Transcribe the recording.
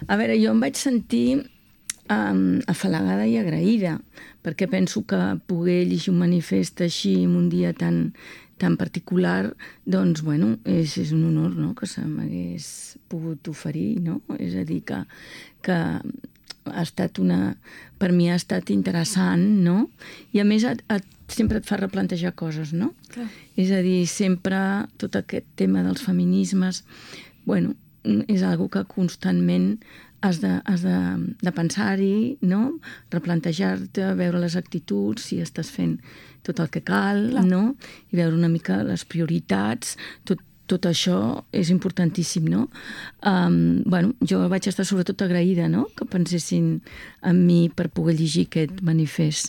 A veure, jo em vaig sentir afalagada i agraïda, perquè penso que poder llegir un manifest així en un dia tan particular, doncs, bueno, és un honor, no?, que se m'hagués pogut oferir, no? És a dir, que ha estat per mi ha estat interessant, no? I a més sempre et fa replantejar coses, no? Clar. És a dir, sempre tot aquest tema dels feminismes, bueno, és algo que constantment has de pensar-hi, no? Replantejar-te, veure les actituds, si estàs fent tot el que cal, Clar. no? I veure una mica les prioritats, tot això és importantíssim, no? Bueno, jo vaig estar sobretot agraïda, no?, que pensessin en mi per poder llegir aquest manifest.